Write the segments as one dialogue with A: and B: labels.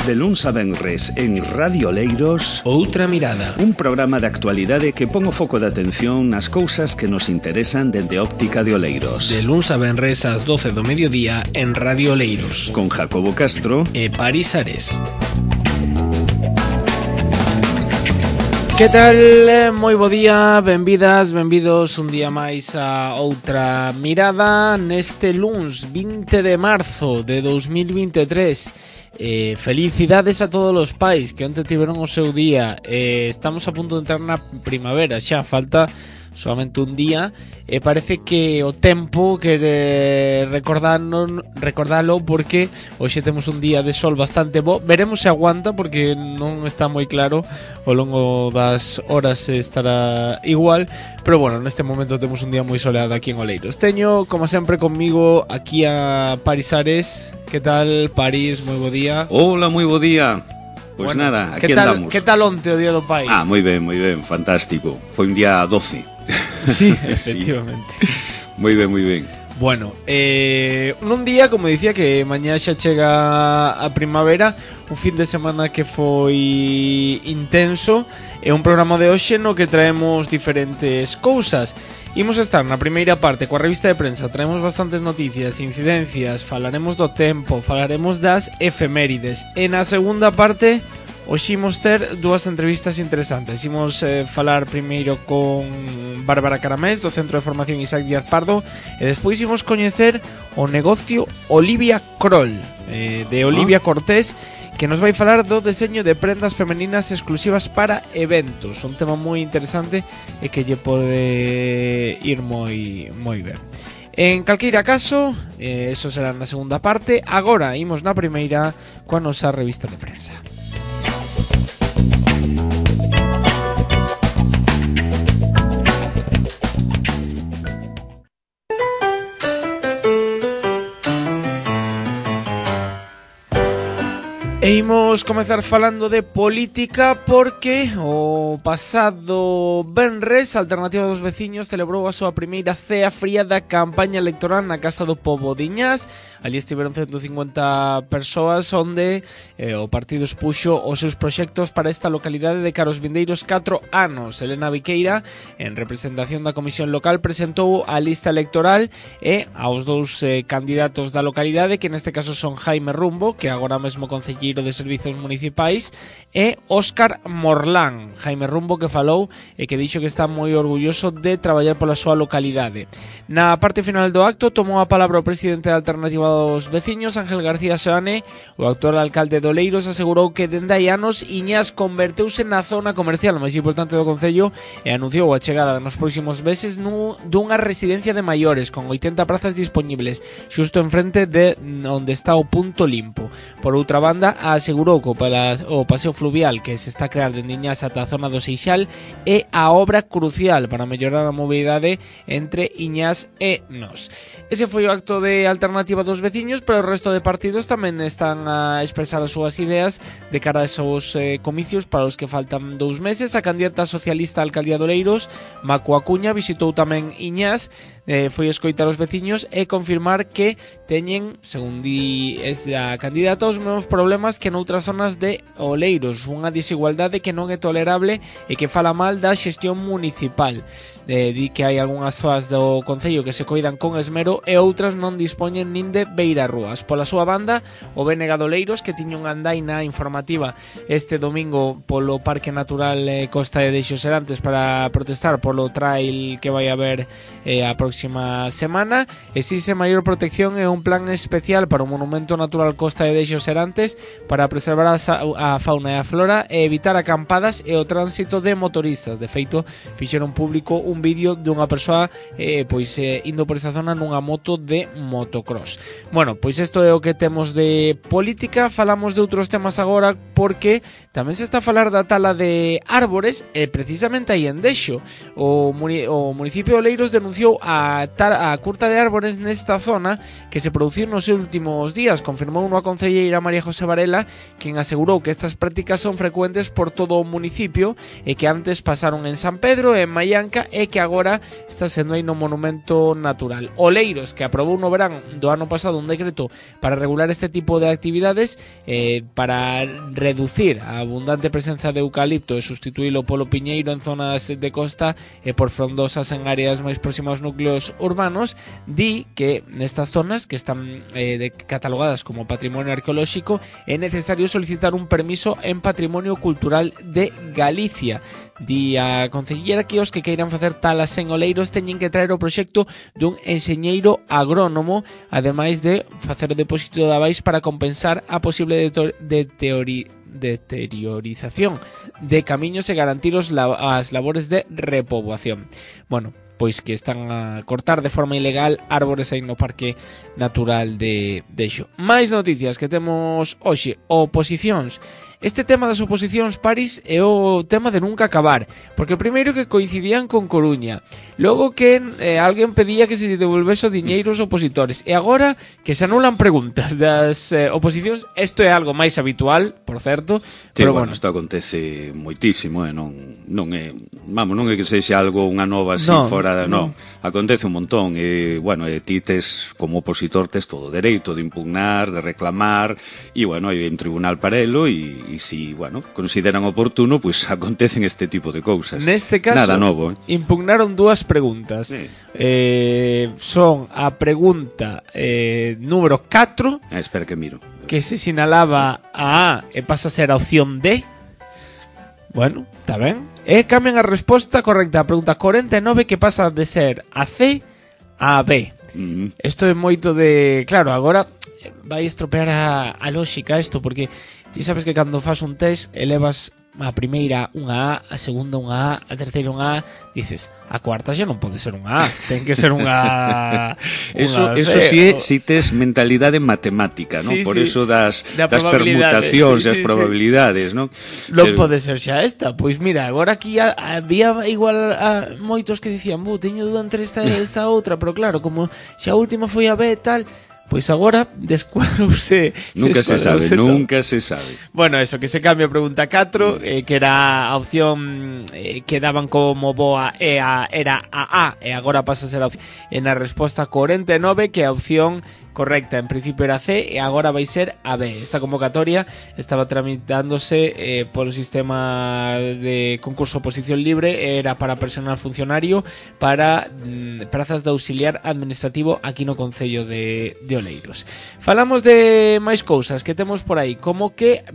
A: De luns a venres en Radio Oleiros,
B: Outra Mirada,
A: un programa de actualidade que pon o foco de atención nas cousas que nos interesan dende a óptica de Oleiros.
B: de luns a venres ás 12 do mediodía en Radio Oleiros,
A: Con Jacobo Castro
B: e Paris Ares. Que tal? Moi bo día, benvidas, benvidos un día máis a Outra Mirada neste luns 20 de marzo de 2023. Felicidades a todos os pais que onte tiveron o seu día. Estamos a punto de entrar na primavera, xa falta solamente un día e parece que o tempo quere recordalo porque hoxe temos un día de sol bastante bo. Veremos se aguanta porque non está moi claro, ao longo das horas estará igual, pero bueno, neste momento temos un día moi soleado aquí en Oleiros. Teño, como sempre, conmigo aquí a Paris Ares. Que tal, Paris? Moi bo día.
C: Hola, moi bo día. Pois
B: Bueno,
C: nada, aquí
B: andamos.
C: andamos.
B: Que tal onte o día do pai?
C: Moi ben, fantástico. Foi un día 12.
B: Sí, efectivamente.
C: Moi ben.
B: Bueno, nun día, como dicía, que mañá xa chega a primavera, un fin de semana que foi intenso, e un programa de hoxe no que traemos diferentes cousas. Imos estar na primeira parte coa revista de prensa, traemos bastantes noticias, incidencias, falaremos do tempo, falaremos das efemérides. E na segunda parte, hoxe imos ter dúas entrevistas interesantes. Imos falar primeiro con Bárbara Caramés, do Centro de Formación Isaac Díaz Pardo, e despois imos coñecer o negocio Olivia Kroll, de Olivia Cortés, que nos vai falar do deseño de prendas femeninas exclusivas para eventos. Un tema moi interesante e que lle pode ir moi ben. En calqueira caso, eso será na segunda parte. Agora imos na primeira coa nosa revista de prensa. E imos comezar falando de política porque o pasado venres a Alternativa dos Veciños celebrou a súa primeira cea fría da campaña electoral na Casa do Pobo de Iñás. Ali estiveron 150 persoas onde o partido expuxo os seus proxectos para esta localidade de cara aos vindeiros 4 anos. Elena Viqueira, en representación da Comisión Local, presentou a lista electoral e aos dous candidatos da localidade, que neste caso son Jaime Rumbo, que agora mesmo concelleiro de Servizos Municipais, e Óscar Morlán. Jaime Rumbo, que falou e que dixo que está moi orgulloso de traballar pola súa localidade. Na parte final do acto tomou a palabra o presidente da Alternativa dos Veciños, Ángel García Seoane. O actual alcalde de Oleiros asegurou que dende hai anos Iñás converteuse na zona comercial máis importante do concello e anunciou a chegada nos próximos meses dunha residencia de maiores con 80 prazas disponibles xusto enfrente de onde está o punto limpo. Por outra banda, asegurou que o paseo fluvial que se está a crear dende Iñás ata a zona do Seixal é a obra crucial para mellorar a mobilidade entre Iñás e Nós. Ese foi o acto de Alternativa dos Veciños, pero o resto de partidos tamén están a expresar as súas ideas de cara a esos comicios para os que faltan 2 meses. A candidata socialista a alcaldía de Oleiros, Macu Acuña, visitou tamén Iñás, foi escoitar os veciños e confirmar que teñen, según di esta candidata, os mesmos problemas que noutras zonas de Oleiros, unha desigualdade que non é tolerable e que fala mal da xestión municipal. Di que hai algunhas zonas do concello que se coidan con esmero e outras non dispoñen nin de beirarrúas. Pola súa banda, o BNG de Oleiros, que tiña unha andaina informativa este domingo polo Parque Natural Costa de Deixo Serantes para protestar polo trail que vai haber a próxima semana, exige maior protección e un plan especial para o Monumento Natural Costa de Deixo Serantes para preservar a fauna e a flora e evitar acampadas e o tránsito de motoristas. De feito, fixeron público un vídeo dunha persoa indo por esa zona nunha moto de motocross. Bueno, pois isto é o que temos de política. Falamos de outros temas agora porque tamén se está a falar da tala de árbores e precisamente aí en Deixo o municipio de Oleiros denunciou a a curta de árbores nesta zona que se produciu nos últimos días. Confirmou a concelleira María José Varela, quen asegurou que estas prácticas son frecuentes por todo o municipio e que antes pasaron en San Pedro e en Maianca e que agora está sendo aí no Monumento Natural. Oleiros, que aprobou no verán do ano pasado un decreto para regular este tipo de actividades para reducir a abundante presenza de eucalipto e sustituílo polo piñeiro en zonas de costa e por frondosas en áreas máis próximas aos núcleos urbanos, di que nestas zonas que están catalogadas como patrimonio arqueolóxico é necesario solicitar un permiso en Patrimonio Cultural de Galicia. Di a concellera que os que queiran facer talas en oleiros teñen que traer o proxecto dun enxeñeiro agrónomo, ademais de facer o depósito de avais para compensar a posible deteriorización de camiños e garantir as labores de repoboación. Bueno, pois que están a cortar de forma ilegal árbores aí no Parque Natural de Xo. Mais noticias que temos hoxe. Oposicións. Este tema das oposicións, Paris, é o tema de nunca acabar, porque primeiro que coincidían con Coruña, logo que alguén pedía que se devolvese o diñeiro aos opositores, e agora que se anulan preguntas das oposicións. Isto é algo máis habitual, por certo,
C: sí,
B: pero
C: bueno, isto acontece moitísimo, non é que sexa algo unha nova así fora, non. Acontece un montón e, bueno, ti tes, como opositor, tes todo o dereito de impugnar, de reclamar, e, bueno, hai un tribunal para elo e si, bueno, consideran oportuno, pois acontecen este tipo de cousas.
B: Neste caso,
C: nada novo,
B: impugnaron dúas preguntas.
C: Sí.
B: Son a pregunta número 4,
C: espera que miro,
B: que se sinalaba a A e pasa a ser a opción D. Bueno, está ben. E cambian a resposta correcta a pregunta 49, que pasa de ser a C a B. Isto é moito de... Claro, agora vai estropear a lógica isto, porque ti sabes que cando fas un test elevas a primeira unha A, a segunda unha A, a terceira unha A, dices, a cuarta xa non pode ser unha A, ten que ser unha
C: Eso sí, si tes mentalidade matemática, ¿no?
B: Sí,
C: Por
B: sí.
C: eso das permutacións e as probabilidades, ¿no?
B: Non pode ser xa esta. Pois mira, agora aquí había igual moitos que dicían, teño dúda entre esta e esta outra, pero claro, como xa a última foi a B e tal, pois agora descuadrouse.
C: Nunca se sabe.
B: Bueno, eso, que se cambia a pregunta 4, que era a opción que daban como boa era a A, e agora pasa a ser a opción. En a resposta 49, que a opción correcta en principio era C e agora vai ser a B. Esta convocatoria estaba tramitándose polo sistema de concurso oposición libre, era para personal funcionario para prazas de auxiliar administrativo aquí no Concello de Oleiros. Falamos de máis cousas que temos por aí, como que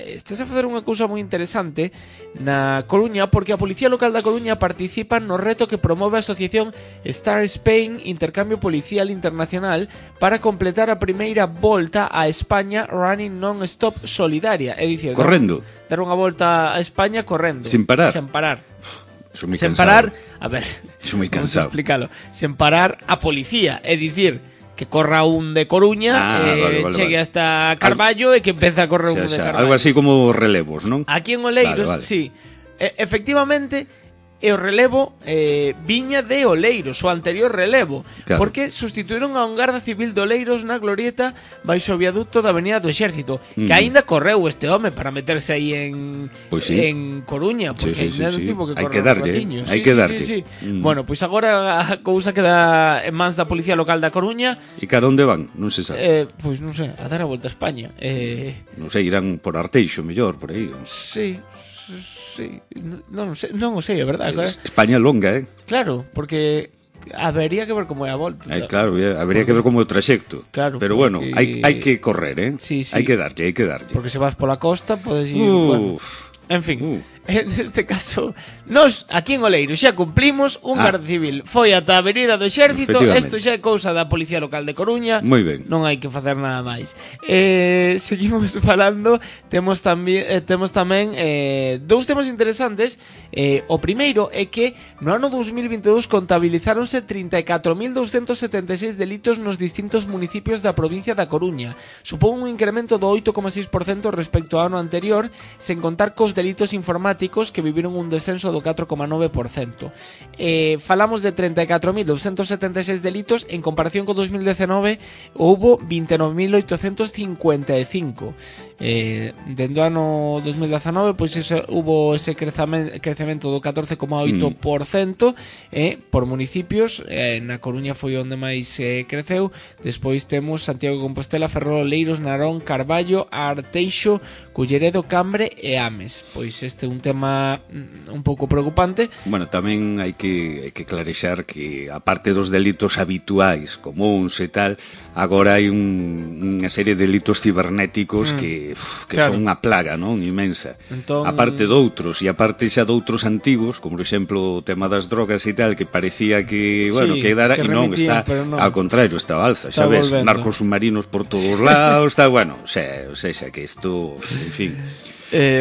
B: estás a facer unha cousa moi interesante na Coruña, porque a Policía Local da Coruña participa no reto que promove a asociación Star Spain Intercambio Policial Internacional para completar a primeira volta a España Running Non-Stop Solidaria, é dicir,
C: correndo,
B: dar unha volta a España correndo,
C: sin parar.
B: Sen
C: cansado.
B: Parar, a ver,
C: moi cansado.
B: Vamos a explicarlo. Sen parar a policía, é dicir, que corra un de Coruña, chegue hasta Carballo e que empeza a correr un de Carballo.
C: Algo así como relevos, non?
B: Aquí en Oleiros, sí. Efectivamente, e o relevo viña de Oleiros, o anterior relevo,
C: claro,
B: porque sustituíron a un garda civil de Oleiros na glorieta baixo o viaducto da Avenida do Exército, que aínda correu este home para meterse aí en Coruña, porque aínda non tivo que correr un ratiño.
C: Hai que darlle.
B: Bueno, pois agora a cousa queda en mans da Policía Local da Coruña.
C: E cara onde van? Non se sabe.
B: Pois non sei, a dar a volta a España.
C: Non sei, irán por Arteixo, mellor, por aí.
B: Sí, non o sei, é verdade.
C: España longa,
B: Claro, porque habería que ver como é a volta.
C: Claro, habería que ver como é o traxecto.
B: Claro,
C: pero bueno, hai que correr,
B: Sí.
C: Hai que darlle.
B: Porque se vas pola costa, podes ir... Bueno. En fin, en este caso, nos aquí en Oleiros xa cumplimos, un garda civil foi ata a Avenida do Exército, isto xa é cousa da Policía Local de Coruña.
C: Moi ben.
B: Non hai que facer nada máis. Seguimos falando, temos tamén dous temas interesantes. O primeiro é que no ano 2022 contabilizáronse 34.276 delitos nos distintos municipios da provincia da Coruña. Supón un incremento do 8,6% respecto ao ano anterior, sen contar cos delitos informáticos dramáticos que viviron un descenso do 4,9%. Falamos de 34.276 delitos, en comparación con 2019 houbo 29.855. Dentro do ano 2019 pois hubo ese crecemento do 14,8%, por municipios. Na Coruña foi onde máis creceu. Despois temos Santiago de Compostela, Ferrol, Oleiros, Narón, Carballo, Arteixo, Culleredo, Cambre e Ames. Pois este é un tema un pouco preocupante.
C: Bueno, tamén hai que clarexar que aparte dos delitos habituais, comuns e tal, agora hai unha serie de delitos cibernéticos que claro, son unha plaga, non, inmensa. Entón... aparte doutros, e aparte xa doutros antigos, como por exemplo o tema das drogas e tal, que parecía que, bueno,
B: sí,
C: que dara, e non, está no. Ao contrario, está alza, está xa ves, volvendo. Narcos submarinos por todos lados, está, bueno, xa que isto, en fin...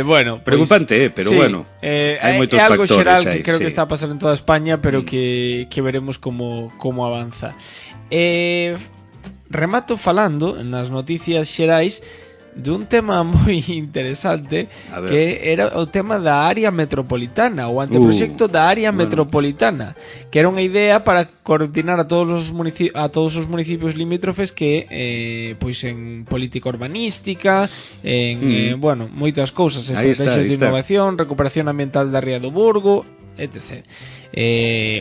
B: bueno,
C: preocupante, pero sí, bueno, hai moitos
B: é algo
C: factores
B: xeral que
C: aí,
B: creo
C: sí,
B: que está a pasar en toda España, pero que veremos como avanza. Remato falando nas noticias xerais dun tema moi interesante, que era o tema da área metropolitana, o anteproxecto da área metropolitana, que era unha idea para coordinar a todos os municipios limítrofes que pois en política urbanística, en bueno, moitas cousas, estrategias de innovación, recuperación ambiental da ría do Burgo, etc.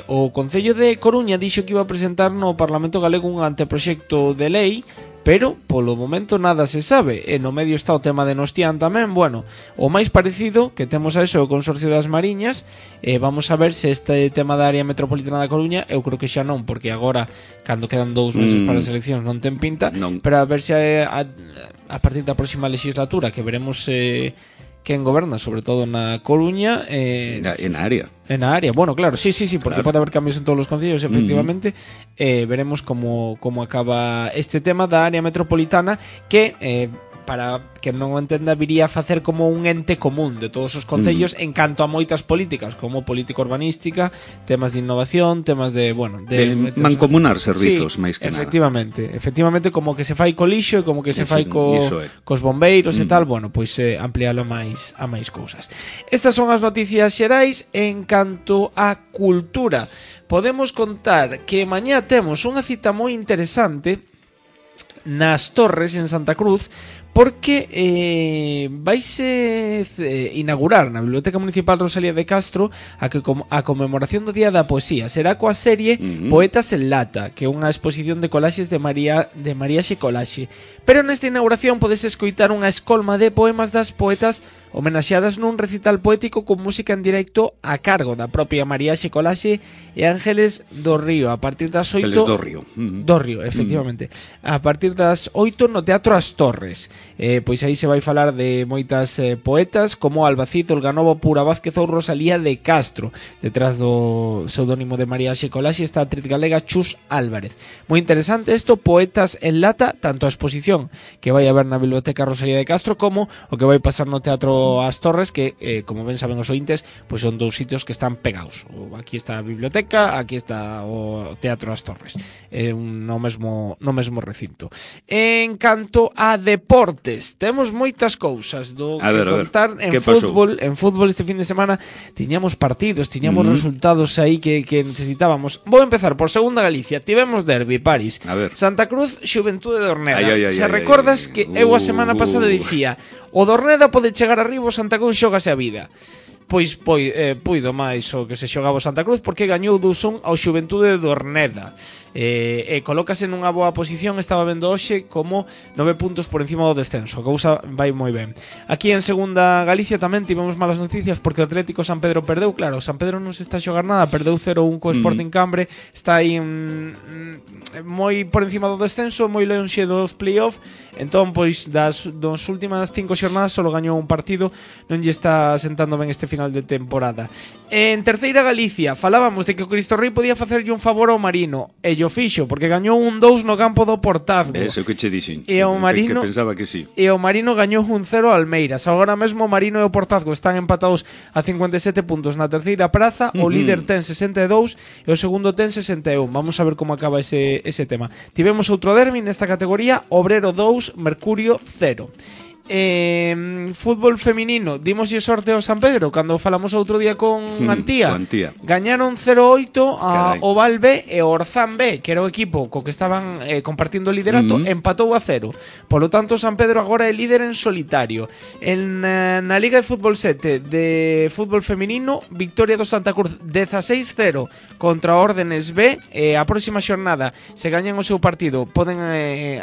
B: O Concello de Coruña dixo que iba a presentar no Parlamento Galego un anteproxecto de lei, pero polo momento nada se sabe, e no medio está o tema de Nostián tamén. Bueno, o máis parecido que temos a eso o Consorcio das Mariñas. Vamos a ver se este tema da área metropolitana da Coruña, eu creo que xa non, porque agora, cando quedan 2 meses para as eleccións, non ten pinta, pero a ver se a partir da próxima legislatura, que veremos quen goberna, sobre todo na Coruña,
C: en área.
B: En a área, bueno, claro, sí, porque claro, pode haber cambios en todos os concellos, efectivamente. Veremos como acaba este tema da área metropolitana, que para que non o entenda, viría a facer como un ente común de todos os concellos en canto a moitas políticas, como política urbanística, temas de innovación, temas de, bueno, de
C: mancomunar servizos,
B: sí,
C: máis que
B: efectivamente, como que se fai co lixo, como que se fai cos bombeiros e tal, bueno, pois ampliálo a máis cousas. Estas son as noticias xerais. En canto a cultura, podemos contar que mañá temos unha cita moi interesante nas Torres, en Santa Cruz, porque vaise inaugurar na Biblioteca Municipal Rosalía de Castro a conmemoración do Día da Poesía. Será coa serie Poetas en Lata, que é unha exposición de colaxes de Maríaxe Colaxe. Pero nesta inauguración podes escoitar unha escolma de poemas das poetas homenaxeadas nun recital poético con música en directo a cargo da propia Maríaxe Colaxe e Ángeles do Río, a partir das 8...
C: Ángeles do Río.
B: Do Río, efectivamente. A partir das 8 no Teatro As Torres. Pois aí se vai falar de moitas poetas, como Albacid, Olganovo, Pura Vázquez ou Rosalía de Castro. Detrás do pseudónimo de Maríaxe Colaxe está a actriz galega Chus Álvarez. Moi interesante isto, Poetas en Lata, tanto a exposición que vai haber na Biblioteca Rosalía de Castro como o que vai pasar no Teatro As Torres, que, como ben saben os ointes, pois son dous sitios que están pegados. Aquí está a biblioteca, aquí está o Teatro As Torres, no mesmo recinto. En canto a deportes, temos moitas cousas do que contar en fútbol. En fútbol este fin de semana tiñamos partidos, tiñamos resultados aí que necesitábamos. Vou empezar por Segunda Galicia. Tivemos derbi, París, Santa Cruz, Xuventude de Orneda. Se recordas que eu a semana pasada dicía, o Dorneda pode chegar arriba, o Santa Cruz xógase a vida. Pois puido máis o que se xogaba o Santa Cruz, porque gañou 2-1 ao Xuventude de Orneda. Colócase nunha boa posición. Estaba vendo hoxe como 9 puntos por encima do descenso. A cousa vai moi ben. Aquí en Segunda Galicia tamén tivemos malas noticias, porque o Atlético San Pedro perdeu. Claro, San Pedro non se está a xogar nada, perdeu 0-1 co Sporting Cambre. Está aí moi por encima do descenso, moi lonxe dos playoff. Entón, pois, das últimas 5 xornadas só gañou un partido. Non lle está sentando ben este final de temporada. En Terceira Galicia falábamos de que o Cristo Rei podía facerlle un favor ao Marino, e yo fixo, porque gañou 1-2 no campo do Portazgo.
C: Eso que che dixen.
B: E o Marino,
C: que pensaba que sí.
B: E o Marino gañou 1-0 ao Almeiras. Agora mesmo o Marino e o Portazgo están empatados a 57 puntos na terceira praza. O líder ten 62 e o segundo ten 61. Vamos a ver como acaba ese tema. Tivemos outro derbi nesta categoría, Obrero 2, Mercurio 0. Fútbol feminino, dimoslle sorte ao San Pedro cando falamos outro día con Antía. Gañaron 0-8 ao Val B e o Orzán B, que era o equipo co que estaban compartindo o liderato, empatou a 0. Polo tanto, o San Pedro agora é líder en solitario. Na Liga de Fútbol 7 de fútbol feminino, victoria do Santa Cruz 16-0 contra a Órdenes B. A próxima xornada, se gañan o seu partido, poden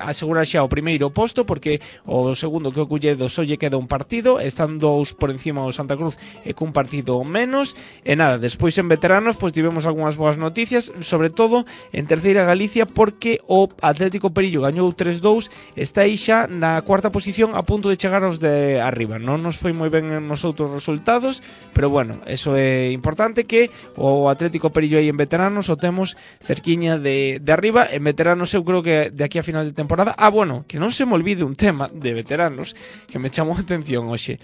B: asegurar xa o primeiro posto, porque o segundo que o Culledo só lle queda un partido, están 2 por encima do Santa Cruz e cun partido menos. E nada, despois en veteranos pois tivemos algunhas boas noticias, sobre todo en terceira Galicia, porque o Atlético Perillo gañou 3-2, está aí xa na cuarta posición, a punto de chegar aos de arriba. Non nos foi moi ben nos outros resultados, pero bueno, eso é importante, que o Atlético Perillo aí en veteranos o temos cerquiña de arriba. En veteranos eu creo que de aquí a final de temporada, bueno, que non se me olvide un tema de veteranos que me chamou a atención hoxe.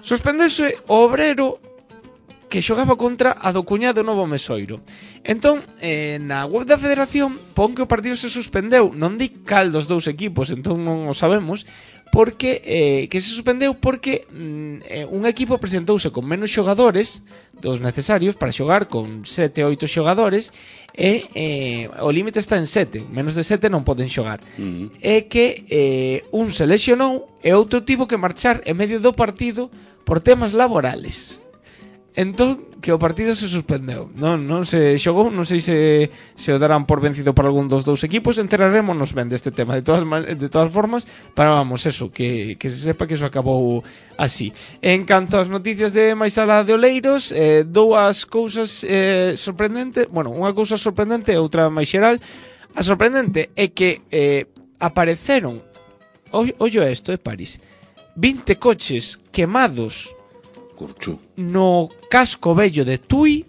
B: Suspendeuse o Obrero, que xogaba contra a do Cuñado Novo Mesoiro. Entón, na web da Federación pon que o partido se suspendeu. Non di cal dos dous equipos, entón non o sabemos, porque que se suspendeu porque un equipo presentouse con menos xogadores dos necesarios para xogar con 7-8 xogadores e o límite está en 7, menos de 7 non poden xogar. É que un se lesionou e outro tivo que marchar en medio do partido por temas laborales. Entón, que o partido se suspendeu. Non se xogou, non sei se o darán por vencido para algún dos dous equipos. Enterarémonos ben deste tema de todas formas, para, vamos, eso, que se sepa que eso acabou así. En canto ás noticias de Maisala de Oleiros, dúas cousas sorprendentes. Bueno, unha cousa sorprendente e outra máis xeral. A sorprendente é que apareceron, ollo isto, París, 20 coches quemados no casco vello de Tui.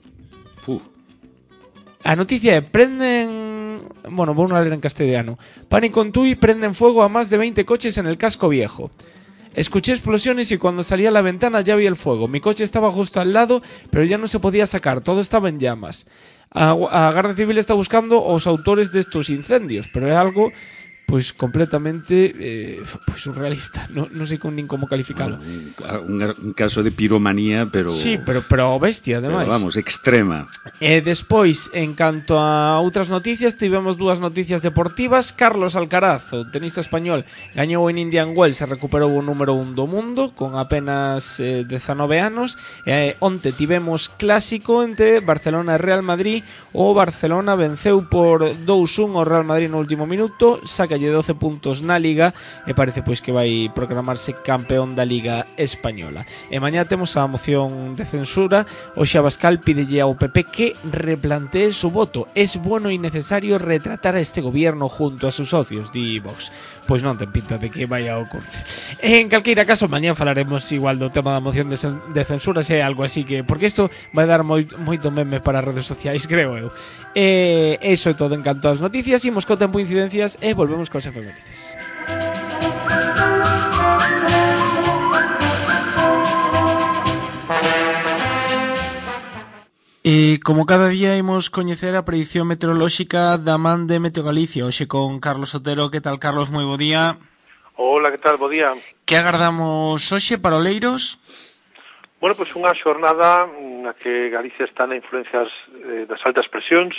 B: A noticia é: prenden... Bueno, vou a ler en castellano. Pánico en Tui, prenden fuego a más de 20 coches en el casco viejo. Escuché explosiones y cuando salí a la ventana ya vi el fuego. Mi coche estaba justo al lado, pero ya no se podía sacar, todo estaba en llamas. A Garda Civil está buscando os autores de estos incendios, pero é algo pois completamente surrealista. Non sei nin como calificalo.
C: Un caso de piromanía, pero...
B: Sí, pero bestia, ademais.
C: Pero vamos, extrema.
B: E despois, en canto a outras noticias, tivemos dúas noticias deportivas. Carlos Alcaraz, o tenista español, gañou en Indian Wells e recuperou o número 1 do mundo con apenas 19 anos. Onte tivemos clásico entre Barcelona e Real Madrid. O Barcelona venceu por 2-1 o Real Madrid no último minuto, saca 12 puntos na Liga e parece pois que vai proclamarse campeón da Liga Española. E mañá temos a moción de censura. Hoxe Abascal pídelle ao PP que replantee su voto. Es bueno y necesario retratar a este gobierno junto a sus socios, di Vox. Pois non ten pinta de que vai a ocurrir. En calqueira caso, mañá falaremos igual do tema da moción de censura, se é algo así, que porque isto vai dar moito meme para as redes sociais, creo eu. Eso é todo en canto ás noticias. Imos co tempo incidencias e volvemos cos efemérides. E como cada día imos coñecer a predición meteorolóxica da man de Meteo Galicia, hoxe con Carlos Otero. Que tal, Carlos? Moi bo día.
D: Hola, que tal? Bo día.
B: Que agardamos hoxe para Oleiros?
D: Bueno, pois unha xornada na que Galicia está na influencias das altas presións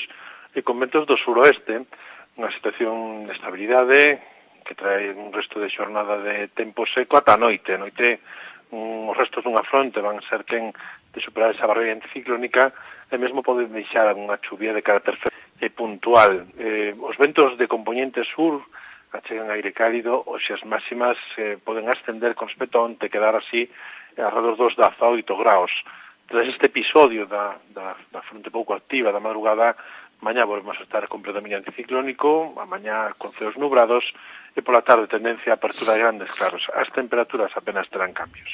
D: e con ventos do suroeste, unha situación de estabilidade que trae un resto de xornada de tempo seco ata a noite. A noite os restos dunha fronte van ser quen de superar esa barreira anticiclónica e mesmo poden deixar unha chuvia de carácter e puntual. Os ventos de componente sur achegan aire cálido, hoxe as máximas poden ascender con respecto a onte, quedar así alrededor dos 18 graus. Tras este episodio da fronte pouco activa da madrugada, mañá volvemos a estar con predominio anticiclónico, a mañá con ceos nubrados e pola tarde tendencia a apertura de grandes claros. As temperaturas apenas terán cambios.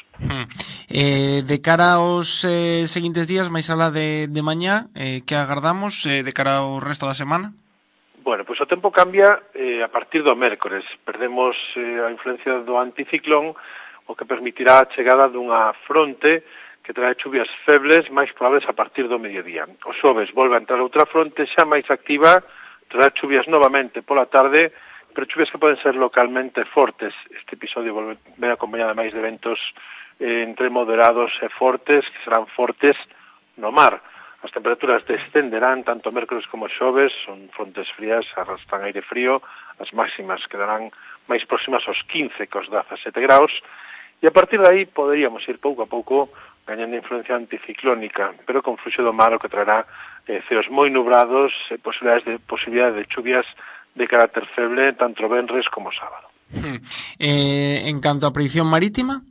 B: De cara aos seguintes días, máis alá de mañá, que agardamos de cara ao resto da semana?
D: Bueno, pois o tempo cambia a partir do mércores. Perdemos a influencia do anticiclón, o que permitirá a chegada dunha fronte que trae chuvias febles máis probables a partir do mediodía. O xoves volve a entrar outra fronte xa máis activa, trae chuvias novamente pola tarde pero chuvias que poden ser localmente fortes. Este episodio ven acompañado máis de ventos entre moderados e fortes, que serán fortes no mar. As temperaturas descenderán tanto mércores como xoves, son frontes frías, arrastran aire frío, as máximas quedarán máis próximas aos 15 que aos 17 graus, e a partir de aí poderíamos ir pouco a pouco gañando influencia anticiclónica, pero con fluxo do mar o que traerá ceos moi nubrados e posibilidade de chuvias de carácter feble tanto venres como sábado.
B: En canto a predicción marítima?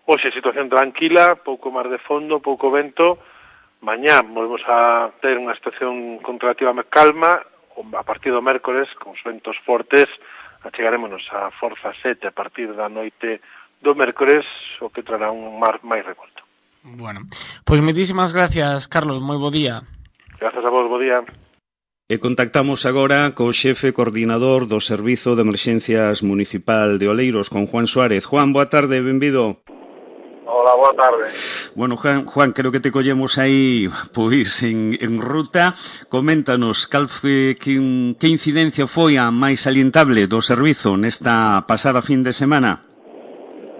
D: Hoxe situación tranquila, pouco mar de fondo, pouco vento. Mañá volvemos a ter unha situación con relativa calma. A partir do mércores, con os ventos fortes, achegarémonos a forza 7 a partir da noite do mércores, o que trará un mar máis revolto.
B: Bueno, pois moitísimas gracias, Carlos, moi bo día.
D: Grazas a vos, bo día.
A: E contactamos agora co xefe coordinador do Servizo de Emerxencias Municipal de Oleiros, con Juan Suárez. Juan, boa tarde, benvido.
E: Hola, boa tarde.
A: Bueno, Juan, creo que te collemos aí pois en ruta. Coméntanos que incidencia foi a máis salientable do servizo nesta pasada fin de semana.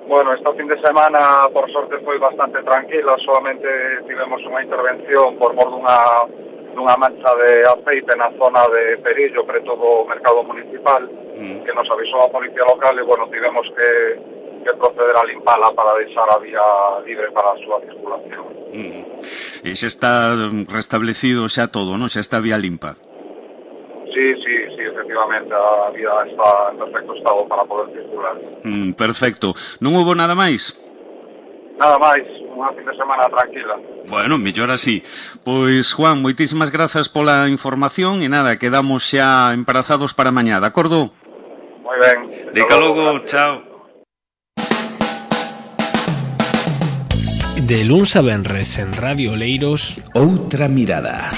E: Bueno, esta fin de semana, por sorte, foi bastante tranquila. Solamente tivemos unha intervención por mor dunha mancha de aceite na zona de Perillo, preto do mercado municipal, que nos avisou a policía local e, bueno, tivemos que proceder a limpala para deixar a vía libre para a súa circulación.
A: E xa está restablecido xa todo, non? Xa está a vía limpa.
E: Sí, efectivamente, a vía está en perfecto estado para poder circular.
A: Perfecto. Non houve nada máis?
E: Nada máis, unha fin de semana tranquila.
A: Bueno, mellor así. Pois, Juan, moitísimas grazas pola información e nada, quedamos xa emparazados para mañá, de acordo?
E: Moi ben.
A: Deca logo, chao.
B: De luns a venres en Radio Oleiros,
A: Outra mirada.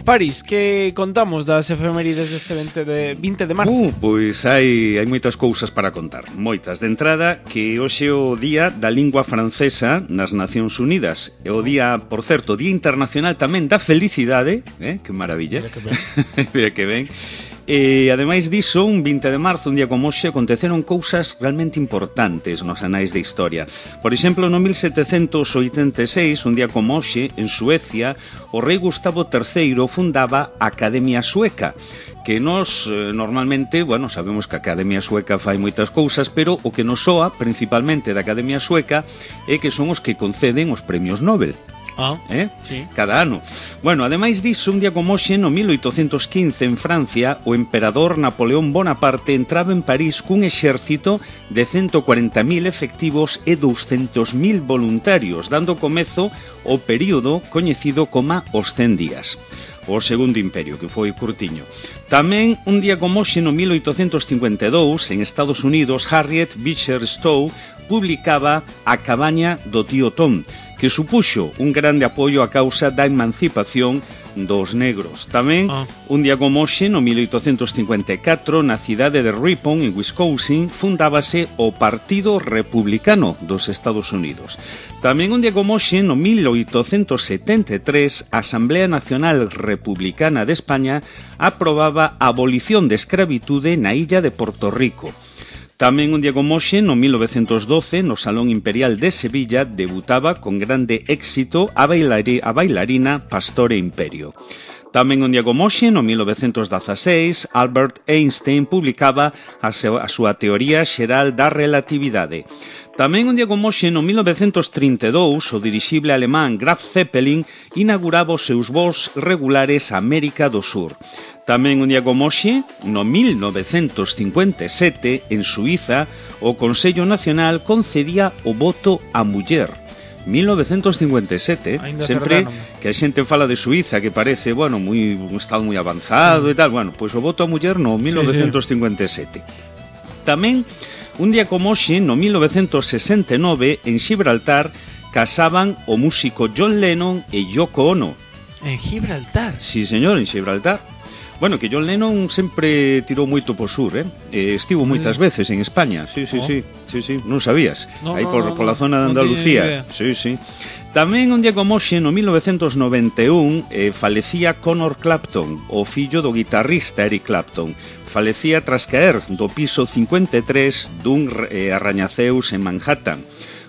B: París, que contamos das efemérides deste 20 de marzo?
A: Pois hai moitas cousas para contar. Moitas. De entrada, que hoxe é o Día da Lingua Francesa nas Nacións Unidas. É o día, por certo, Día Internacional tamén da Felicidade. Que maravilla. Mira que ben. E, ademais diso, un 20 de marzo, un día como hoxe, aconteceron cousas realmente importantes nos anais de historia. Por exemplo, no 1786, un día como hoxe, en Suecia, o rei Gustavo III fundaba a Academia Sueca, que nos normalmente, bueno, sabemos que a Academia Sueca fai moitas cousas, pero o que nos soa principalmente da Academia Sueca é que son os que conceden os premios Nobel.
B: Sí.
A: Cada ano. Bueno, ademais disso, un día como hoxe, no 1815, en Francia, o emperador Napoleón Bonaparte entraba en París cun exército de 140.000 efectivos e 200.000 voluntarios, dando comezo ao período coñecido como os 100 días. O Segundo Imperio, que foi curtiño. Tamén, un día como hoxe, no 1852, en Estados Unidos, Harriet Beecher Stowe publicaba A cabaña do tío Tom, que supuxo un grande apoio á causa da emancipación dos negros. Tamén, un día como hoxe, no 1854, na cidade de Ripon, en Wisconsin, fundábase o Partido Republicano dos Estados Unidos. Tamén un día como hoxe, no 1873, a Asamblea Nacional Republicana de España aprobaba a abolición de escravitude na illa de Porto Rico. Tamén un día como hoxe, no 1912, no Salón Imperial de Sevilla, debutaba con grande éxito a bailarina Pastore Imperio. Tamén un día como hoxe, no 1916, Albert Einstein publicaba a súa teoría xeral da relatividade. Tamén un día como hoxe, no 1932, o dirixible alemán Graf Zeppelin inauguraba os seus voos regulares a América do Sur. Tamén un día como hoxe, no 1957, en Suiza, o Consello Nacional concedía o voto á muller. 1957, sempre que a xente fala de Suiza, que parece, bueno, un estado moi avanzado e tal, bueno, pois o voto á muller no 1957. Tamén, un día como hoxe, no 1969, en Gibraltar, casaban o músico John Lennon e Yoko Ono.
B: En Gibraltar?
A: Sí, señor, en Gibraltar. Bueno, que John Lennon sempre tirou moito por sur, estivo moitas veces en España. Sí, non sabías. Aí pola zona de Andalucía. Sí. Tamén un día como hoxe, no 1991, falecía Conor Clapton, o fillo do guitarrista Eric Clapton. Falecía tras caer do piso 53 dun arrañaceus en Manhattan.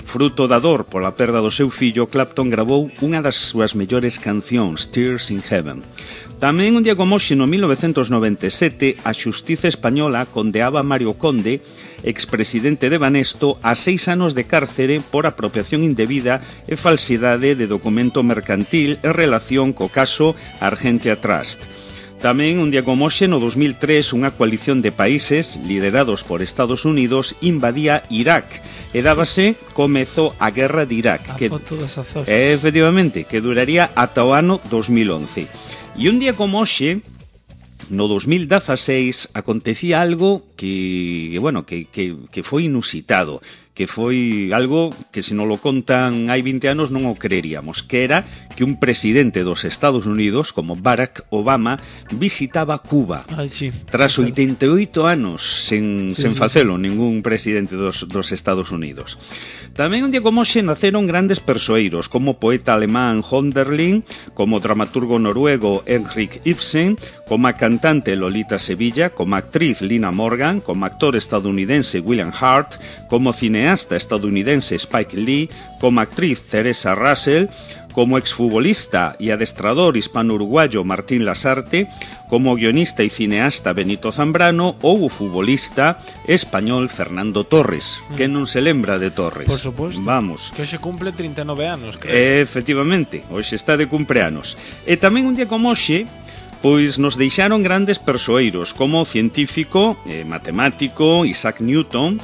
A: Fruto da dor pola perda do seu fillo, Clapton grabou unha das súas mellores cancións, Tears in Heaven. Tamén un día como hoxe, no 1997, a xustiza española condeaba a Mario Conde, expresidente de Banesto, a 6 anos de cárcere por apropiación indebida e falsidade de documento mercantil en relación co caso Argentia Trust. Tamén un día como hoxe, no 2003, unha coalición de países liderados por Estados Unidos invadía Irak e dábase comezo a guerra de Irak, que efectivamente, que duraría ata o ano 2011. E un día como hoxe, no 2016, acontecía algo que foi inusitado, que foi algo que, se non lo contan hai 20 anos, non o creeríamos, que era que un presidente dos Estados Unidos, como Barack Obama, visitaba Cuba. Tras 88 anos sen facelo ningún presidente dos Estados Unidos. Tamén un día como hoxe naceron grandes persoeiros, como o poeta alemán Hölderlin, como o dramaturgo noruego Henrik Ibsen, como a cantante Lolita Sevilla, como a actriz Lina Morgan, como actor estadounidense William Hurt, como cineasta estadounidense Spike Lee, como actriz Teresa Russell, como exfutbolista e adestrador hispano-uruguayo Martín Lasarte, como guionista e cineasta Benito Zambrano ou o futbolista español Fernando Torres. Que non se lembra de Torres?
B: Por suposto.
A: Vamos.
B: Que hoxe cumple 39 anos, creo.
A: Efectivamente, hoxe está de cumpleanos. E tamén un día como hoxe, pois nos deixaron grandes persoeiros, como o científico, matemático Isaac Newton,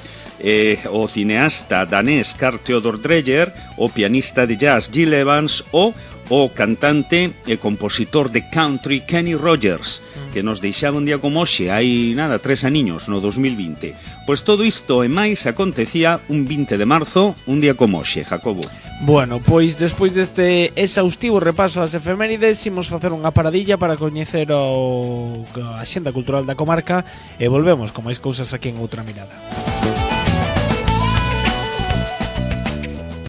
A: o cineasta danés Carl Theodor Dreyer, o pianista de jazz Gil Evans o cantante e compositor de country Kenny Rogers, que nos deixaba un día como hoxe, hai 3 aniños, no 2020. Pois todo isto e máis acontecía un 20 de marzo, un día como hoxe, Jacobo.
B: Bueno, pois despois deste exhaustivo repaso das efemérides, imos facer unha paradilla para coñecer a xenda cultural da comarca e volvemos con máis cousas aquí en Outra Mirada.